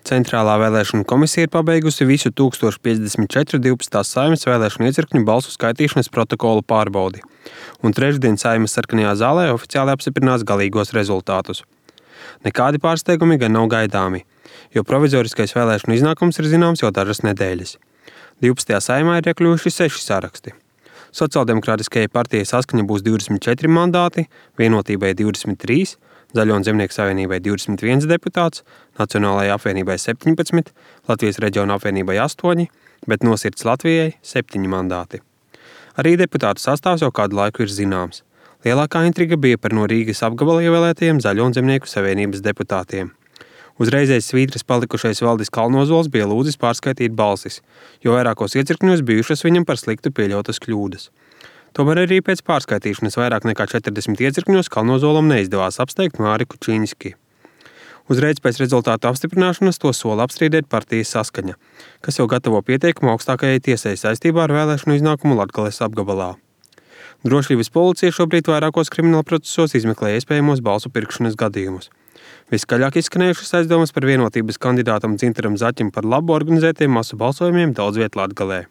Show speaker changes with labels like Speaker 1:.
Speaker 1: Centrālā vēlēšanu komisija ir pabeigusi visu 1054 12. Saeimas vēlēšanu iecirkņu balsu skaitīšanas protokolu pārbaudi, un trešdien Saeimas sarkanajā zālē oficiāli apstiprinās galīgos rezultātus. Nekādi pārsteigumi gan nav gaidāmi, jo provizoriskais vēlēšanu iznākums ir zināms jau dažas nedēļas. 12. Saeimā ir iekļuvuši 6 saraksti. Sociāldemokrātiskajai partijai Saskaņa būs 24 mandāti, Vienotībai 23, Zaļo un Zemnieku savienībai 21 deputāts, Nacionālajai apvienībai 17, Latvijas reģiona apvienībai 8, bet Nosirds Latvijai 7 mandāti. Arī deputātu sastāvs jau kādu laiku ir zināms. Lielākā intriga bija par no Rīgas apgabala ievēlētajiem Zaļo un Zemnieku savienības deputātiem. Uzreizēs svītras palikušais Valdis Kalnozols bija lūdzis pārskaitīt balsis, jo vairākos iecirkņos bijušas viņam par sliktu pieļautas kļūdas. Tomēr arī pēc pārskaitīšanas vairāk nekā 40 iecirkņos Kalnozolam neizdevās apsteigt Māri Kučīnski. Uzreiz pēc rezultātu apstiprināšanas to sola apstrīdēt partijas Saskaņa, kas jau gatavo pieteikumu augstākajai tiesai saistībā ar vēlēšanu iznākumu Latgales apgabalā. Drošības policija šobrīd vairākos kriminālprocesos izmeklē iespējamos balsu pirkšanas gadījumus. Viskaļāk izskanējušas aizdomas par Vienotības kandidātam Dzintaram Zaķim par labu organizētiem masu balsojumiem daudz viet Latgalē.